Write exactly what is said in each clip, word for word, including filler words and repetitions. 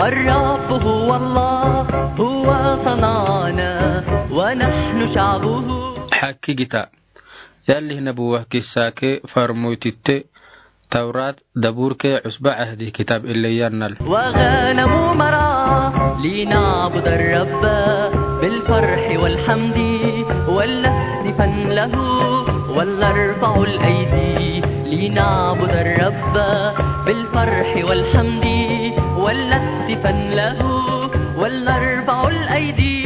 الرب هو الله، هو صنعنا ونحن شعبه. Hakkigita. Yalli nabuwa kissa ke farmoytitte Tawrat daburke usba ahdi kitab ille yannal. وغنم مرعى لنعبد الرب بالفرح والحمد ولنهتفن له ولنرفع الأيدي لنعبد الرب بالفرح والحمد ولنهتفن له ولنرفع الأيدي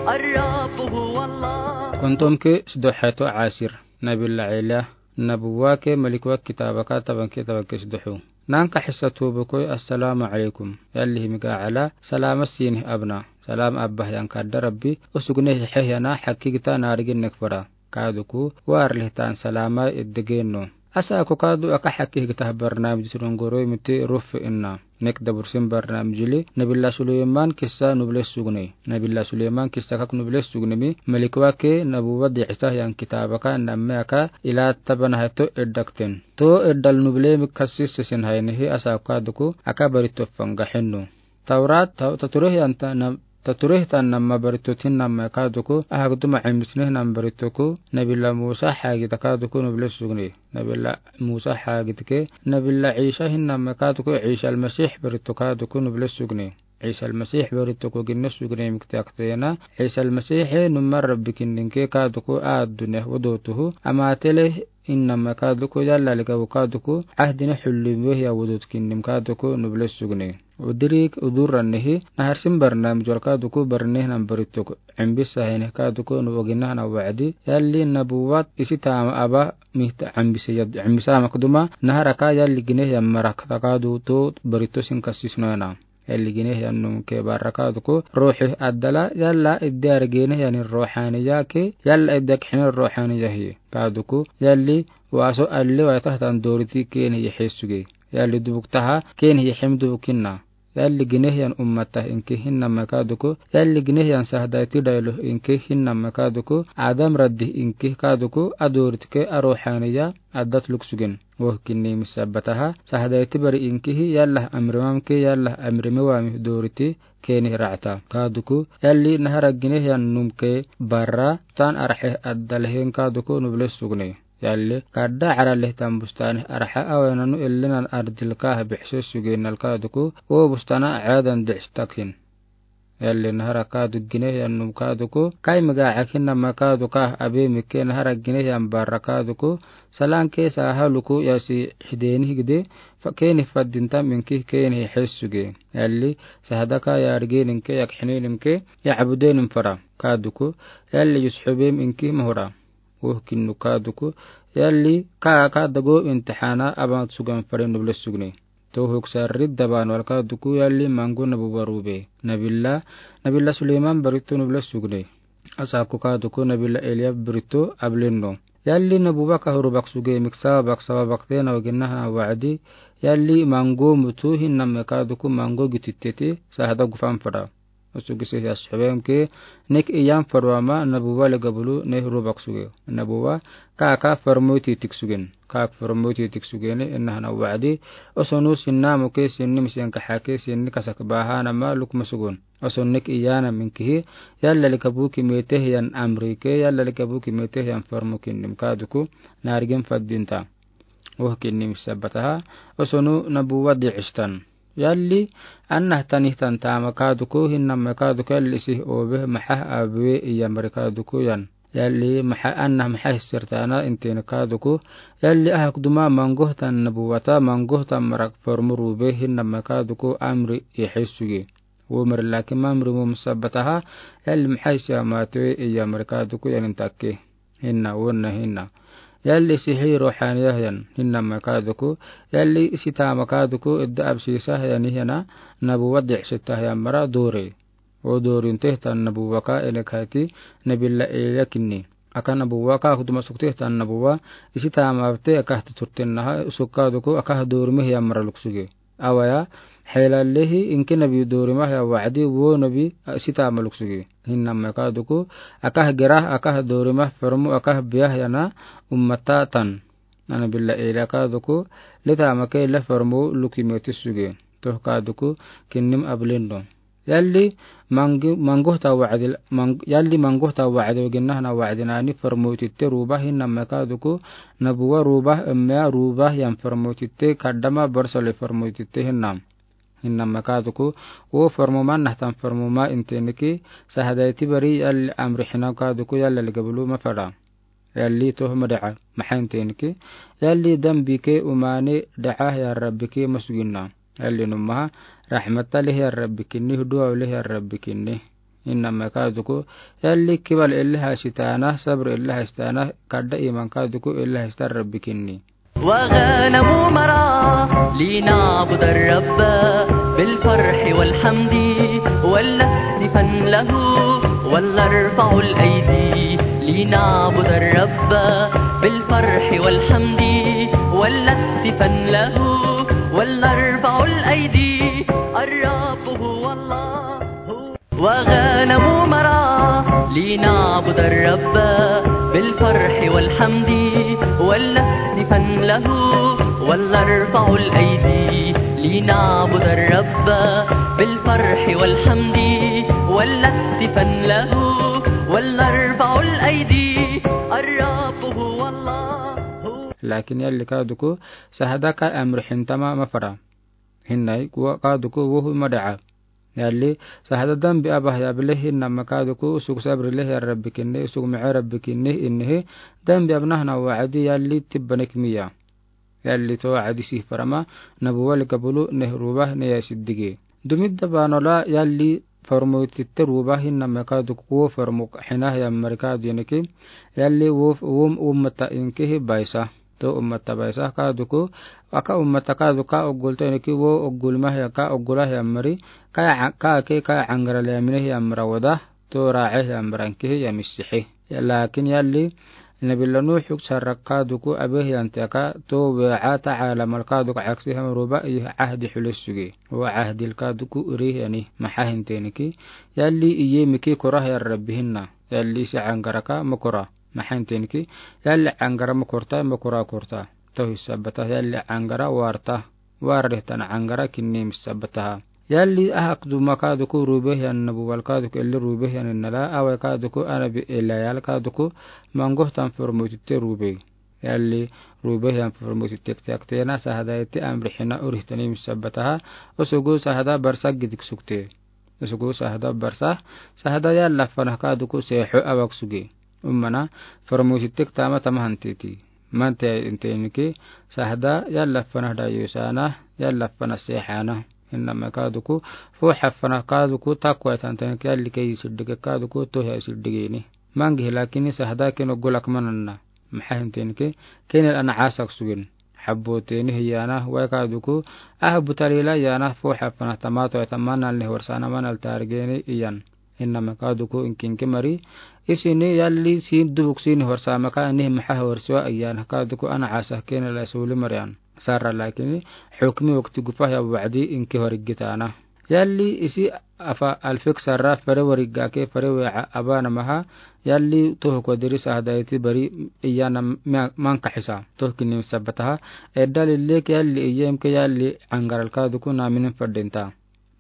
الرب هو الله. Kontomke sudohato asir. Nabila Ila nabuwa ke malikwak kitaba ka tabanke tabanke sudohu. Nanka hissa tubukoy assalamu alaykum. Yalli himiga ala salama sinih abna. Salam abbah yan kadda Rabbi usugne hehena hakkigita narigin nekfara. Kaduku warlihtan salama iddegeno. Asa ko kadu aka hakkigita barnamij surungoroy miti rufi inna. Nek dabursin barnamij li Nabila Suleyman kissa nuble sugne. Nabila Suleyman kissa kak nuble sugne mi malikwake nabuwa di'isa yan kitaba ka namme aka ila tabana hato iddakten. To iddal nuble mi kassis sesin haynihi asa kaduku aka barito fanga henno. Tawrat, taw-, tatureh yan ta-, na-, tatureh tan namma barito tin namma kaduku, ahak duma imisneh nam baritoku, Nabila Musa hagita kaduku nuble sugne. Nabila Musa hagitke, Nabila Isa hin namma kaduku, Isa al-Masih barito kaduku nuble sugne. Isa al-Masih baritoku ginne sugne mikte aktena, Isa al-Masih numma Rabbi kinninke kaduku addune wodotuhu, amatele hin namma kaduku yalla likabu kaduku, ahdine hullim wehya wodot kinnim kaduku nuble sugne. Udirik uduranihi, naharsin barnamij wal kaduku barneh nam baritok. Imbisa hene kaduku nubo ginahana wa'di, yalli nabuwat isi tama aba mihta imbisa yad, imbisa makduma, naharaka yalli gineh yan marak takadu to barito sin kassis noena. Yalli gineh yan num ke barra kaduku, ruhi addala, yalla iddi argineh yan ruhaniya ke, yalla iddi akhin ruhaniya hi. Kaduku, yalli waso alli wa tahtan doriti keni yehisuge. Yalli dubuk taha, keni yehem dubukinna. Yalli gineh yan ummata inki hin namma kaduku, yalli gineh yan sahdayti daylo inki hin namma kaduku, Adam raddi inki kaduku, adoritke aruhaniya addat luksugen. Woh kinni misabataha, sahdayti bari inkihi, yalla amrimam ke, yalla amrime wami doriti, keni ra'ta. Kaduku, yalli nahara gineh yan num ke barra, tan arhe addalhen kaduku nuble sugne. Yalli, kadda araleh tan bustane arha awenanu ellinan ardil kaha bihse suge nal kaduku, o bustana adan dihs takhin. Yalli nahara kadu gineh yan num kaduku, kai miga akin nama kadu kah abe mike nahara gineh yan barra kaduku, salan ke saha luku yasi hideni higde, fa keni faddin tam inki keni hessuge. Yalli, sahadaka yargenin ke yak hinenim ke, ya abudenim fara kaduku, yalli yushubem inki mahura. Woh kinnu kaduku, yalli ka, ka dago imtihana aban sugan fare nuble sugne. To huk sarri daban wal kaduku yalli mangu nabuwa rube. Nabila, Nabila Suleyman barito nuble sugne. Asa ko kaduku Nabila Eliya barito ablenno. Yalli nabuwa ka huru bak suge miksa bak sawa bakte na waginna hana wa'di. Yalli mangu mutu hin namme kaduku mangu gititete sahada gufan fada. Osu gise yas heben ke, nek iyan farwama nabuwa le gabulu ne huru bak suge. Nabuwa ka ka farmoyti tik sugen. Ka ka farmoyti tik sugene inna hana wa'di. Osonu sinna muke sinni misiyan ka hake sinni kasak baha nama lukma sugun. Oson nek iyana minkihi, yalla le kabuki meteh yan amrike, yalla le kabuki meteh yan farmukin nim kaduku, narigin faddinta. Woh kinni misabataha, osonu nabuwa di'istan. Yalli, annah tanih tan tama kaduku, hin namme kaduku, yalli sih obe, maha abwe, iya mari kaduku yan. Yalli, maha annah maha hissirtana, intin kaduku. Yalli, ahak duma manguh tan nabuwata, manguh tan marak formuru be, hin namme kaduku, amri, yehisugi. Wo mari laki mamri mum sabataha, yalli maha hissirtana matwe, iya mari kaduku, yan intakke. Hinna, wonna hinna. Yalli sihi ruhaniya yan, hinna makaduku. Yalli sita makaduku, idda absisa yan hiyana, nabuwa di'isita yan mara dori. O dorin teh tan nabuwa ka ene kaiti, nabila Eliya kinni. Aka nabuwa ka huduma suk teh tan nabuwa, sita mabte aka tuturten naha, suk kaduku, aka dori meh yan mara luksugi. Awaya, helallehi inki nabi dorima ya wa'di wo nabi, a, sita maluk sugi. Hinna makaduku, akah gerah, akah dorima, farmu, akah biah yana ummata tan. Nabila Eliya kaduku, lita make le farmu luki meti sugi. Toh kaduku kinnim ablendo. Yalli mangi-, mangohta wa'di, mang-, yalli mangohta wa'di wagin nahna wa'di nani farmoititte ruba hinna me kaduku nabuwa ruba, emmea ruba yan farmoititte kaddama barsali farmoititte hinna. Hinna me kaduku wo farmoma nahtan farmoma inteniki sahadaiti bari yalli amri hina kaduku yalla ligabulu mafara. Yalli toh mada'a, maha inteniki. Yalli dambike umane da'a ya Rabbike masuginna. Yalli numaha rahmata leh ya Rabbikinni, huduwa leh ya Rabbikinni. Inna me kaduku. Yalli kibal ella hasitana, sabr ella hasitana, kadda iman kaduku ella hasita Rabbikinni. وغنم مرعى لنعبد الرب بالفرح والحمد ولنهتفن له ولنرفع الأيدي لنعبد الرب بالفرح والحمد ولنهتفن له ولنرفع الأيدي الرب هو الله. وغنم مرعى لنعبد الرب بالفرح والحمد ولنهتفن له ولنرفع الأيدي لنعبد الرب بالفرح والحمد ولنهتفن له ولنرفع الأيدي الرب هو الله. Lakin yalli kaduku sahada ka amri hintama mafara. Hinnai kuwa kaduku wohu mada'a. Yalli sahada dambi abah ya bile hinna me kaduku usug sabri leh ya Rabbikinni, usug ma'a Rabbikinni innihi dambi abnahna wa'di yalli tibbanek miya. Yalli to wa'di sih farama nabuwa ligabulu neh ruba ne ya siddige. Dumidda banola yalli farmoititte ruba hinna me kaduku wo farmok hinah ya mari kadu iniki. Yalli wo, wo ummata inkihi baisa. To ummata baisa kaduku, aka ummata kaduku ka oggul to iniki wo oggul mah ya ka oggul ah ya mari, ka ya, ka ke ka angara le ya mine ya mara wada, to ra'e ya mara inkihi ya misihi. Ya lakin yalli, Nabiyullah Nuh sarra kaduku abeh yan teka, to we'a ta'ala mal kaduku aksi ham ruba ih ahdi hulis sugi. Wa ahdil kaduku iri yani, maha hinteniki. Yalli iye miki kora ya Rabbi hinna. Yalli si angara ka mukora. Maha hinteniki, yalli angara mukorta, mukora korta. Toh isabata yalli angara warta. Warre tana angara kinnim isabataha. Yalli ahak duma kaduku rubeh yan nabuwal kaduku elli rubeh yan innala, awe kaduku anabi elayal kaduku mangohtan farmoititte rubeh. Yalli rubeh yan farmoititte ktena sahada iti amri hina urih tanim isabataha, usugu sahada barsa gidik sukte. Usugu sahada barsa, sahada yalla fanah kaduku seho awak sugi. Ummana, farmoititte ktama tama hantiti. Mante inteniki, sahada yalla fanah dayusana, yalla fanah sehana. Hinna me kaduku, fuha fanah kaduku, takwa tantaniki yalli ke isiddige kaduku, toh ya isiddigeni. Mangi hilakini sahada keno gulak mananna. Maha hintenike, kenel ana asak sugin. Habbo teni hiyana, wai kaduku, ah butalila yana, fuha fanah tamato ya tamanal ni horsana manal targeni iyan. Hinna me kaduku inkinki mari, isini yalli sin dubuk sini horsa maka nih maha horswa iyan kaduku ana asak kenel suli marian. Sarra lakini, hukmi wakti gufa ya wa'di inki horigitana. Yalli isi afa alfik sarra fare warigake fare we'a abana maha, yalli toh kodiri sahadaiti bari iyana ma-, manka hisa. Toh kinnim sabataha, edda lillek yalli iyemke yalli angaral kaduku naminin fadinta.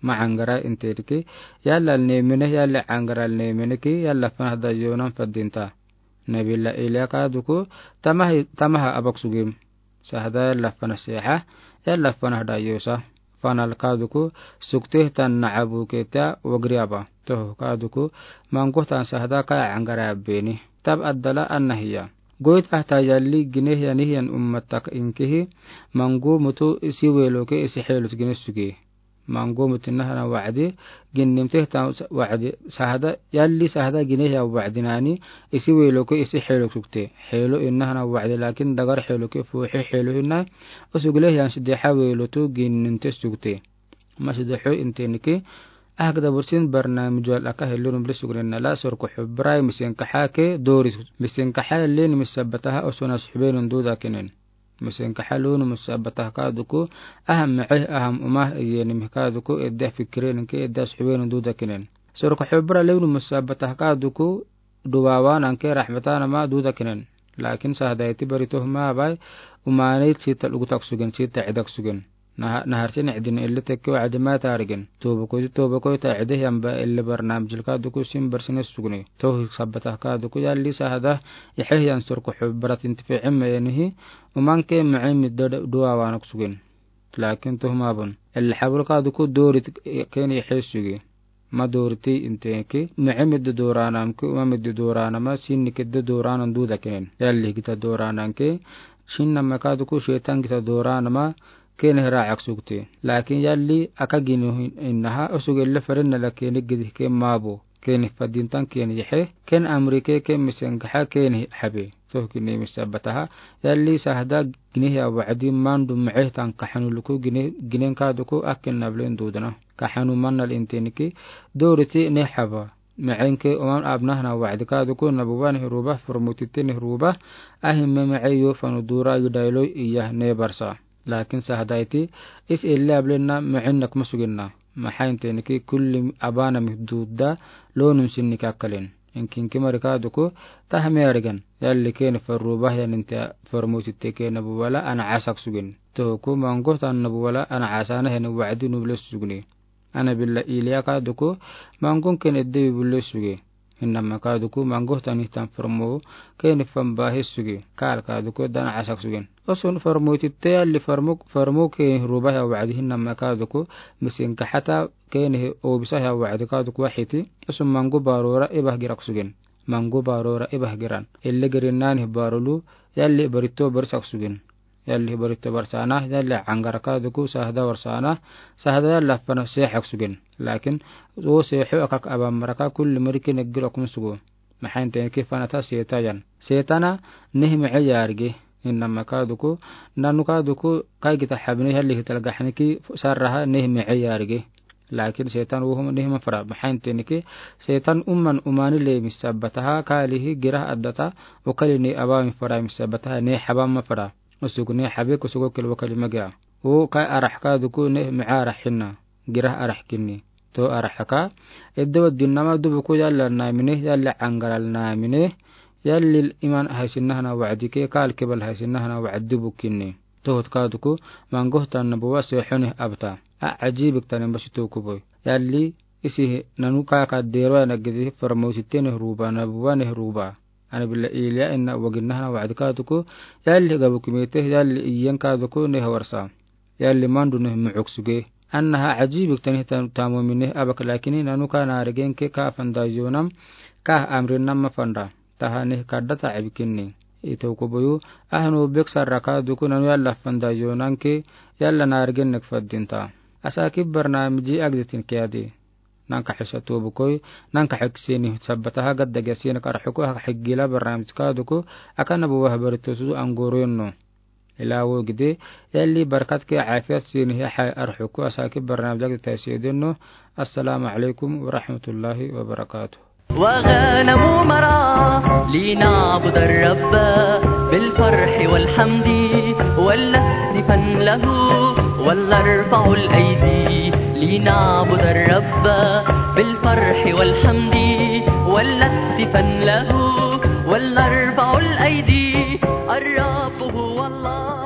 Ma angara intiriki, yalla alnemine, yalli angara alnemineki, yalla fanah dayonan fadinta. Nabila Ilya kaduku, tamaha, tamaha abak sugim. Sahada yalla fanah seha, yalla fanah dayusa. Fanal kaduku, sukteh tan na'abu keta wagriaba. Toh kaduku, mangohtan sahada kaya angara abeni. Tab addala annahiya. Goit ahta yalli gineh yanihiyan ummatak inkihi, mangu mutu isi weloke isi helut gineh sugi. Mangu mutu nahana wa'di, ginnim teh tan wa'di, sahada, yalli sahada gineh ya wa'di nani, isi weloke isi helo sukte. Helo innahana wa'di lakin dagar heloke fuhe helo hinna, usugile yan sideha welotu ginnim teh sukte. Masideho inteniki, ahak dabursin barnamij wal aka helunum bile sugnen nala sorko hubrai misenkaha ke doris. Misenkaha len misabataha osonas hubenun duda kenen. Misenkaha lunu musabataha kaduku, aham me'eh, aham umah, iyenim kaduku, edda fikirenke, edda suhwenun duda kenen. Sorko hubra lunu musabataha kaduku, duwawananke rahmatanama duda kenen. Lakin sahadaiti bari toh ma bai, umanit sita lugutak sugen, sita edak sugen. Naha-, naharsin cidin elle tekke wacdi ma taarigin. Toobokoydi toobokoy ta cide hiyan ba elle barnaamijil kaduku sin barsine sugni. Tohi sabbata kaduku yalli sahada ixe yan surku xubbarat intificin meyenihi. Uman ke mece midda duwaawanak sugin. Laakin tohuma bun. Elle xabul kaduku doorit keni ixe sugi. Ma dooriti inteki, mece midda dooraanamki, uma midda dooraanama, sinni kedda dooraanan duuda kenen. Yalli gita dooraananki, sinnama kaduku seetan gita dooraanama, keni raacak sugti. Laakin yalli aka ginu hin-, innaha, usug elle farinnala keni gidi ke maabo. Keni fadintan keni yixe, ken amrike, ken misengaxa, keni xabe. Toh keni misabbataha, yalli sahada ginihiya wacdi mandu mece tan kaxanu luku gine-, ginen kaduku akken nablen duudana. Kaxanu mannal intenki, dooriti ne xaba. Mecenke uman abnahana wacdi kaduku nabuwa ne ruba, formutite ne ruba, ahimme mece yo fanu duura yudaylo iya ne barsa. Laakin sahadayti, is elle ablenna mece nek ma suginna. Maxa intenki kulli abana mi duudda, loonun sinni kakkalen. Inkinki mari kaduku, tahme arigan. Yalli keni farruba hiyan inte formutite ke nabuwala ana asak sugin. Tohuku mangohtan nabuwala ana asana hiyan wacdi nuble sugni. Ana billa iliya kaduku, mangon ken edde bibule sugi. Hinnama kaduku, mangohtan hitan farmo, ken fan bahi sugi. Kaal kaduku, dan asak sugin. Osun farmo titte yalli farmo, farmo ken ruba hiya wacdi hinnama kaduku, misin kaxata ken hi obisa hiya wacdi kaduku waxiti. Osun mango barora ibah girak sugin. Mango barora ibah giran. Elle gerinnani barolu, yalli barito barisak sugin. Yalli barito barsana, yalli angara kaduku sahada warsana, sahada yalli fana seexak sugin. Laakin, o seexo akak aban maraka kulli mariki neggil okun sugu. Maxa intenki fanata seeta yan. Seetana, neh mece yaarigi. Hinnama kaduku, nanu kaduku, kai gita xabine yalli hital gaxniki sarraha neh mece yaarigi. Laakin seetan uhum neh ma fara. Maxa intenki, seetan uman umani le misabbataha, kaalihi girah addata, ukalini abami fara misabbataha, ne xaba ma fara. Usugni xabi kusugo kelwa kalima giya. O kai arax kaduku ne mica arax hinna. Girah arax kinni. To arax ka. Edde wadinnama dubuku yalla namine, yalla angaral namine. Yalli iman haysinnahana wacdike, kaal kebal haysinnahana wacdi dubukinni. Tohot kaduku, mangohtan nabuwa seexone abta. A ajibik tani masi tokuboy. Yalli, isihi nanu kaka derwa na gidi farmositene ruba nabuwa ne ruba. Ana billa iliya inna waginnahana wacdi kaduku, yalli gabu kimete, yalli iyen kaduku ne hawarsa. Yalli mandu ne mucuk suge. Annaha ajibik tani ta-, tamomine abak lakini nanu ka narigenke ka fanda yonam, ka amrinnam ma fanda. Taha ne kadda ta abikinni. Ito kubuyu, ahnu bek sarra kaduku nanu yalla fanda yonanke, yalla narigen nek faddinta. Asa ki barnamiji agditin kiyadi. Nanka xisa tobukoy, nanka xeksini sabbataha gadda gesina kar xuku hak xigila barnamij kaduku, akana buwa habaritosu angoroyonno. Ila wo gide, yalli barkat ke afiyat sini ya xay arxuku asa ki barnamij agdi taysiyo denno. Assalamu alaikum wa rahmatullahi wa barakatuh. وغنم مرعى لنعبد الرب بالفرح والحمد ولنهتفن له ولنرفع الأيدي لنعبد الرب بالفرح والحمد ولنهتفن له ولنرفع الأيدي الرب هو الله